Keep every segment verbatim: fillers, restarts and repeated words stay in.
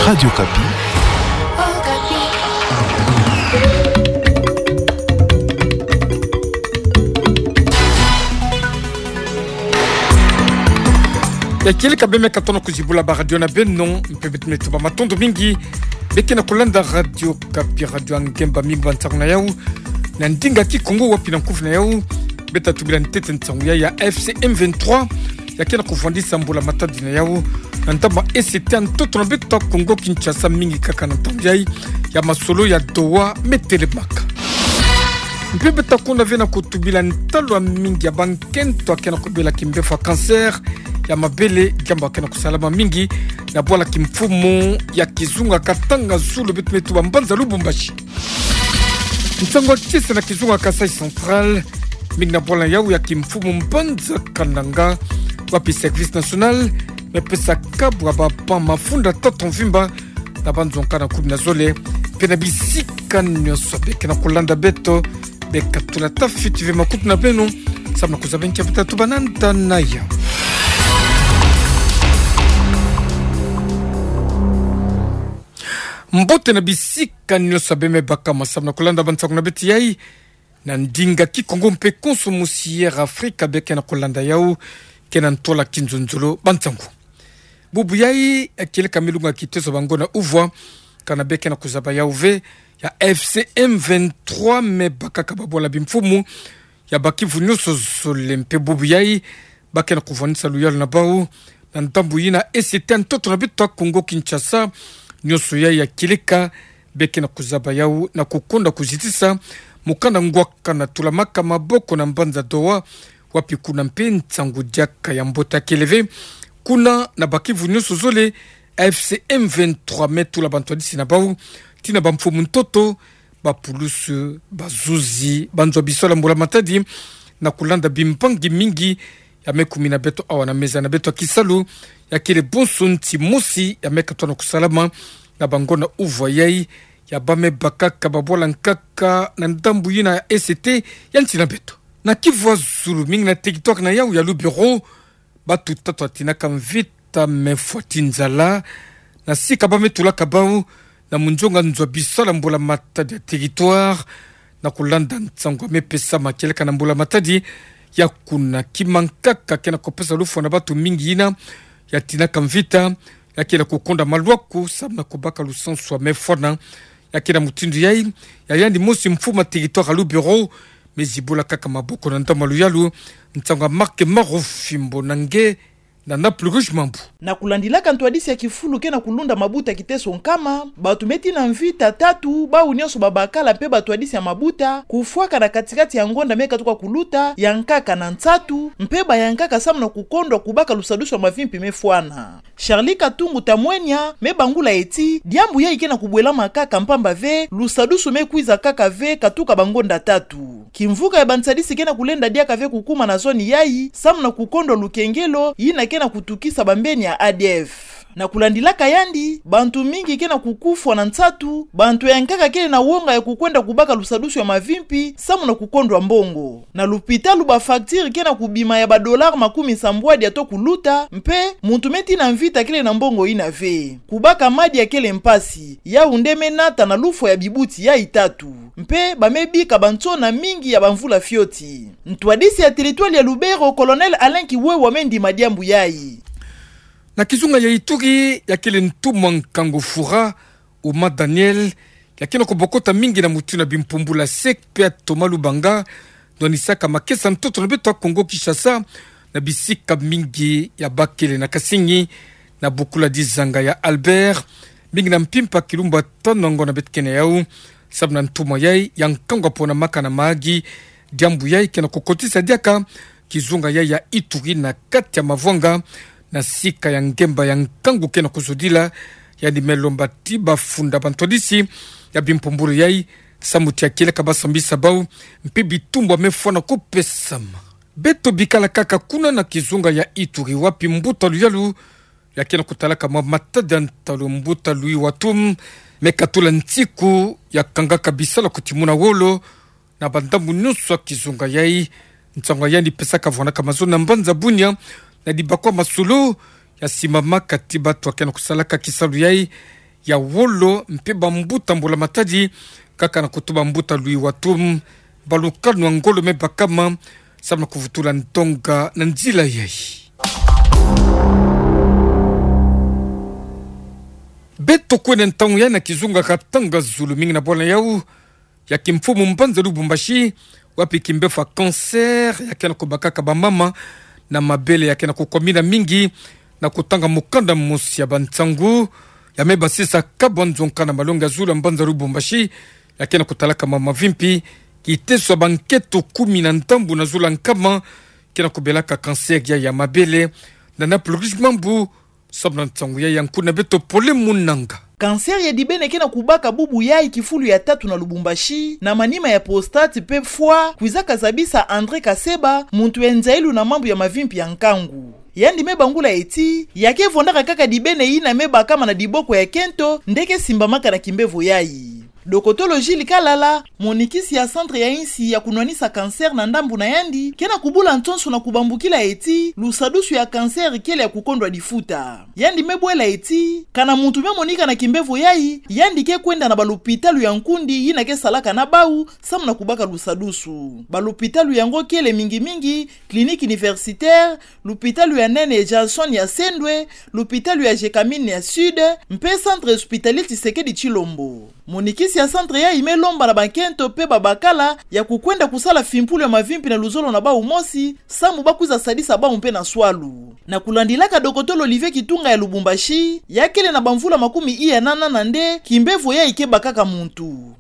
Radio Okapi. Ya kieleka beme ka tona kuzibula ba radio na beno, mpe beto me tuba matondo mingi beke na kulanda Radio Okapi, radio ya ngemba mingi ba ntangu na yau. Na ndinga Kikongo wapi na nkufi na yau, beta tubila ntete nsangu ya, ya F C M vingt-trois, ya ke na kuvwandisa mbula matadi na yau na ntama E C T ya ntoto na beto ya Kongo Kinshasa, mingi kaka na ntangu yai ya masolo ya Doha me telemaka. Mpe beta kuna ve na kutubila ntalu ya mingi ya bankento ya ke na kubela kimbefo ya cancer ya mabele, diambu ya ke na kusalama mingi na bwala kimfumu ya kizunga Katanga Zulu, beto me tuba mbanza Lubumbashi. Nsangu ya kisa na kizunga Kasaï Central, mingi na bwala yau ya kimfumu mbanza Kananga, wapi Service National me pesa kabu ya ba pan mafunda tata mvimba na banzo nkaka kumi na zole, mpe na bisika nyonso beke na kulanda beto, beka tula tafiti ve makutu na beno, samu na kuzaba nkia beta tuba na nda na yau. Mbote na bisika nyonso beme baka masamu na kulanda ba nsangu na beto yai na ndinga Kikongo mpe konso mosi ya Afrika beke na kulanda yau, ke na ntola kinzonzolo ba nsangu. Bubu yai, ya kieleka milunga kiteso ba ngonda uvwa, kana beke na kuzaba yau ve, ya F C M vingt-trois me bakaka ba bwala bimfumu ya bakivu nyonso zole, mpe bubu yai ba ke na kuvwandisa luyalu na bau na ndambu yina E C T ya ntoto na beto ya Kongo Kinshasa. Nyonso yai ya kieleka beke na kuzaba yau na kukonda kuzitisa mukanda ngwaka na tulamaka maboko na mbanza Doha, wapi kuna mpe nsangu diaka ya mbote ya kele ve. Kuna na bakivu nyonso zole, F C M vingt-trois me tula bantwadisi na bau, tii na bamfumu ntoto, bapulusu, bazuzi, banzo ya bisalu ya mbula matadi, na kulanda bimbangi mingi ya me kumi na beto awa na meza na beto ya kisalu, ya kele bonso nti mosi ya me katono kusalama na ba ngonda uvwa yai, ya ba me bakaka ba bwala nkaka na ndambu yina ya E C T ya nsi na beto. Na kivu ya zulu, mingi na territoire na yau ya Lubero, batu tatu ya tinaka mvita me fwa ti nzala, na sika ba me tulaka bau na munzonga nzo ya bisalu ya mbula matadi ya territoire, na kulanda nsangu ya me pesama kieleka na mbula matadi ya kuna. Kima nkaka ke na kupesa lufwa na batu mingi yina ya tinaka mvita, ya ke na kukonda malwaku samu na kubaka lusansu ya me fwana. Ya ke na mutindu yai, ya yandi mosi mfumu ya territoire ya Lubero me zibula kaka maboko na ndambu ya luyalu. Nsangu ya Marc Marufimbo na nge na Naples Rouge Mambu. Na kulandilaka ntwadisi ya kifulu ke na kulunda mabuta kiteso nkama, batu me tii na mvita tatu, bau nyonso babakala mpe batwadisi ya mabuta, kufwaka na katikati ya ngonda me katuka kuluta, ya nkaka na nsatu, mpe ba ya nkaka samu na kukondwa kubaka lusadusu ya mavimpi me fwana. Charlie Katungu Tamwenya me bangula ti, diambu yai ke na kubwelama kaka mpamba ve, lusadusu me kwiza kaka ve katuka ba ngonda tatu. Kimvuka ya bansadisi ke na kulenda diaka ve kukuma na zone yai, samu na kukondwa lukengelo yina ke na kutukisa bambeni ya A D F. Na kulandilaka yandi, bantu mingi ke na kukufwa na nsatu, bantu ya nkaka kele na wonga ya kukwenda kubaka lusadusu ya mavimpi, samu na kukondwa mbongo. Na lupitalu ba facture ke na kubima ya ba dollars makumi nsambwadi ya to kuluta, mpe muntu me tii na mvita kele na mbongo yina ve. Kubaka madia kele mpasi, yau nde me nata na lufwa ya bibuti yai tatu. Mpe ba me bika bansona mingi ya bamvula fioti. Ntwadisi ya territoire ya Lubero, Colonel Alain Kiwewa me ndima diambu yai. Na kizunga ya Ituri, ya kele ntumwa nkangu fura, Uma Daniel, ya ke na kubokota mingi na mutindu ya bimpumbulu ya sec mpe ya Thomas Lubanga, ndwanisaka makesa ntoto na beto ya Kongo Kinshasa, na bisika mingi ya bakele na Kasenyi, na bukula dizanga ya Albert, mingi na mpimpa kilumbu tanu na ngo na beto ke na yau, samu na ntumwa yai ya nkangu ya ponamaka na magi, diambu yai ke na kukotisa diaka kizunga yai ya Ituri na kati ya mavwanga, na sika ya ngemba ya nkangu ke na kuzodila. Yandi me lomba ti bafunda bantwadisi ya bimpumbulu yai, samu ti ya kieleka ba sambisa bau, mpe bitumbu ya me fwana kupesama. Beto bikala kaka kuna na kizunga ya Ituri wapi mbuta luyalu ya ke na kutalaka mwa matadi ya ntalu, mbuta Louis Watum, me katula nsiku ya kangaka bisalu kuti muna wolo, na bandambu nyonso ya kizunga yai. Nsangu ya yandi pesaka vwanaka mazono na mbanza Bunia, na dibakwa masolo ya simamaka ti bato ya ke na kusalaka kisalu yai, ya wolo mpe bambuta mbula matadi, kaka na kutuba mbuta Louis Watum, balukanwa ngolo me bakama, samu na kuvutula ndonga na nzila yayi. Beto kwenda ntangu ya na kizunga katanga zulu mingi na bwala yau, ya kimfumu mbanza Lubumbashi, wapi kimbevo ya cancer ya ke na kubakaka bamama na mabele ya ke na kukwamina mingi, na kutanga mukanda mosi ya bansangu ya me basisa kabu nzonka na malongi ya zulu ya mbanza Lubumbashi, ya ke na kutalaka mama vimpi, kiteso ya bankento kumi na ndambu na zulu ya nkama ke na kubelaka cancer ya, ya mabele, na na pulukisi mambu, samu na nsangu ya ya nkuna beto Pole Munanga. Cancer ya dibene ke na kubaka bubu yayi kifulu ya tatu na Lubumbashi, na manima ya prostate mpe foie, kwizaka zabisa André Kaseba, muntu ya nzailu na mambu ya mavimpi ya nkangu. Yandi me bangula eti, ya ke vwandaka kaka dibene yina me bakama na diboko ya kento, nde ke simbamaka na kimbevo yayi. Dokotolo Gilles Kalala, monikisi ya centre ya insi ya kunwanisa cancer na ndambu na yandi, ke na kubula nsonso na kubambukila eti, lusadusu ya cancer kele ya kukondwa difuta. Yandi me bwela eti, kana muntu me monika na kimbevo yayi, yandi ke kwenda na balupitalu ya nkundi yina ke salaka na bau, samu na kubaka lusadusu. Balupitalu yango kele mingi mingi, Clinique Universitaire, lupitalu ya nene Johnson ya Sendwe, lupitalu ya Gécamines ya Sud, mpe Centre Hospitalier Tshisekedi Tshilombo. Monikisi ya centre yayi me lomba na bankento mpe babakala ya kukwenda kusala fimpulu ya mavimpi na luzolo na bau mosi, samu ba kwiza sadisa bau mpe na swalu. Na kulandilaka dokotolo Olivier Kitunga ya Lubumbashi, ya kele na bamvula makumi iya na nana nde kimbevo yayi ke bakaka muntu.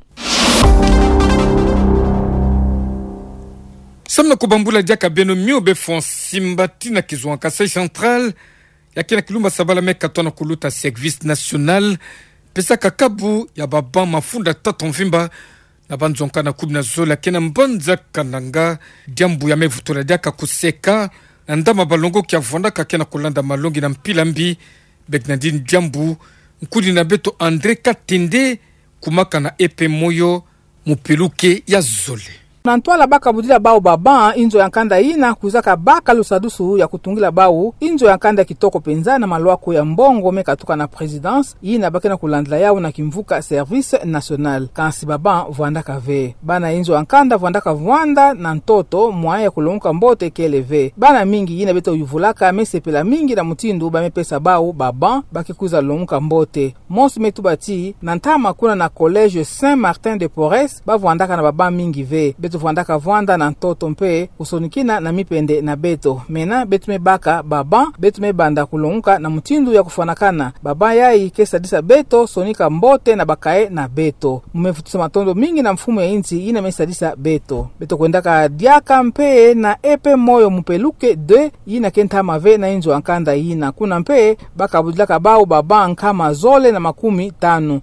Samu na kubambula diaka beno mio, bevo ya nsimba tii na kizunga Kasaï Central, ya ke na kilumba sabala me katwa na kuluta service national pesaka kabu ya baban mafunda tata mvimba na banzonka na kumi na zole ya ke na mbanza Kananga, diambu ya me vutula diaka kuseka na ndama balongoki ya vwandaka ke na kulanda malongi na mpila mbi. Bernardine Diambu, nkudi na beto André Katende, kumaka na E P Moyo, mupeluke ya zole. Na ntwala ba kabudila bau baban inzo ya nkanda yina kwizaka baka lusadusu ya kutungila bau inzo ya nkanda kitoko penza na malwako ya mbongo me katuka na présidence, yina ba ke na kulandila yau na kimvuka service national. Kansi baban vwandaka ve. Bana inzo ya nkanda vwandaka vwanda na ntoto, moyen ya kulonguka mbote kele ve. Bana mingi yina beto yuvulaka me sepela mingi na mutindu ba me pesa bau baban ba ke kwiza longuka mbote. Mosi me tuba ti, na ntama kuna na collège Saint Martin de Porres, ba vwandaka na baban mingi ve. Beto vwandaka vwanda na ntoto mpe kusonikina na mipende na beto. Mena beto me baka baban, beto me banda kulonguka na mutindu ya kufwanakana. Baban yayi ke sadisa beto sonika mbote na ba cahier na beto. Mu me vutisa matondo mingi na mfumu ya insi yina me sadisa beto. Beto kwendaka diaka mpe na E P Moyo mupeluke deux, yina ke ntama ve na inzo ya nkanda yina. Kuna mpe ba kabudilaka bau baban nkama zole na makumi tanu.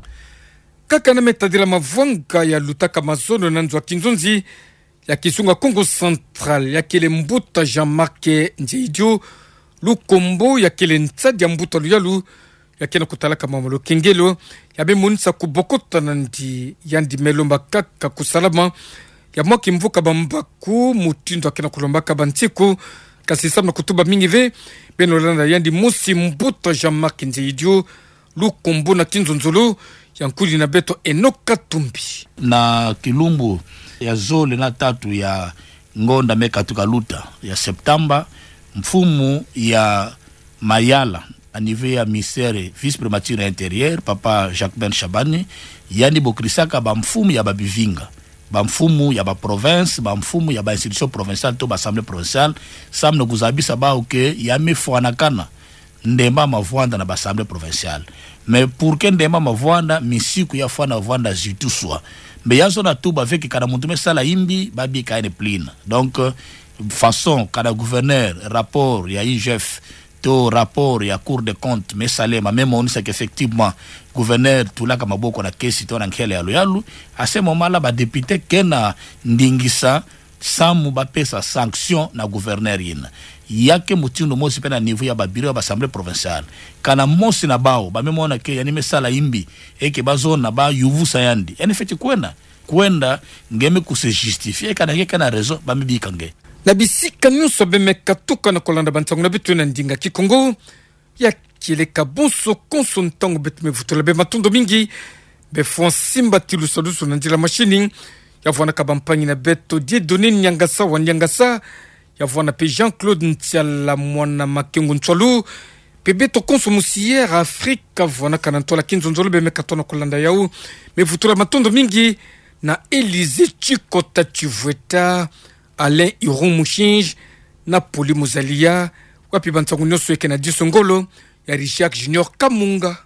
Kaka na me tadila mavwanga ya lutaka mazono na nzo ya kinzonzi ya kizunga Kongo Central, ya kele mbuta Jean-Marc Nzeidio, lukombo ya kele nsadi ya mbuta luyalu, ya ke na kutalaka mama Lukengelo, ya me monisa kubokota na ndi, yandi me lomba kaka kusalama ya mwa kimvuka bambaku, mutindu ya ke na kulombaka bansiku. Kansi samu na kutuba mingi ve, beno landa yandi mosi mbuta Jean-Marc Nzeidio, lukombo na kinzonzolo, ya nkudi na beto Enoch Katumbi. Na kilumbu ya zole na tatu ya ngonda me katuka luta ya septembre, mfumu ya Mayala, à niveau ya ministère, vice-primature ya intérieur, papa Jacquemain Shabani, yandi bokrisaka bamfumu ya babivinga, bamfumu ya baprovince, bamfumu ya bainstitution provinciale to baassemblée provinciale, samu na kuzabisa bau que ya me fwanakana ndemba mavwanda na baassemblée provinciale. Mais pour que ndemba mavwanda, misiku ya fwana vwanda zituswa. Mbe ya zona tuba ve que kana muntu me sala yimbi, ba bika ye ni plina. Donc, euh, façon kana gouverneur, rapport ya I G F, to rapport ya Cour des comptes me salema, me monisa que effectivement gouverneur tulaka maboko na kesi to na nkele ya luyalu. À ce moment-là, badéputé ke na ndingisa samu ba pesa sanction na gouverneur yina. Ya ke mutindu mosi mpe na niveau ya babureau ya baassemblée provinciale. Kana mosi na bau ba me mona que yandi me sala yimbi, et que ba zona ba yuvusa yandi, yandi fweti kwenda, kwenda nge me ku se justifier, kana nge ke na raison, ba me bika nge. Na bisika nyonso be me katuka na kulanda bansangu na beto na ndinga Kikongo, ya Tieleka bonso konso ntangu beto me vutula bê, matondo mingi. Bê fwa nsimba tilusalusu na nzila mashini. Ya vwanaka bampangi na beto Dieudonné Niangasa wa Niangasa. Ya vwana pe Jean-Claude Ntiala mwana Makengo Ntswalu. Pe beto konso mu Sierra Africa, vwanaka na ntwala kinzonzolo bê me katona kolanda yau. Me vutula matondo mingi na Élysée Tshikota Tshivweta, Alain Iron Mushinji, na Poli Muzalia, wapi bansangu nionso eke na diso ngolo, ya Richard Junior Kamunga.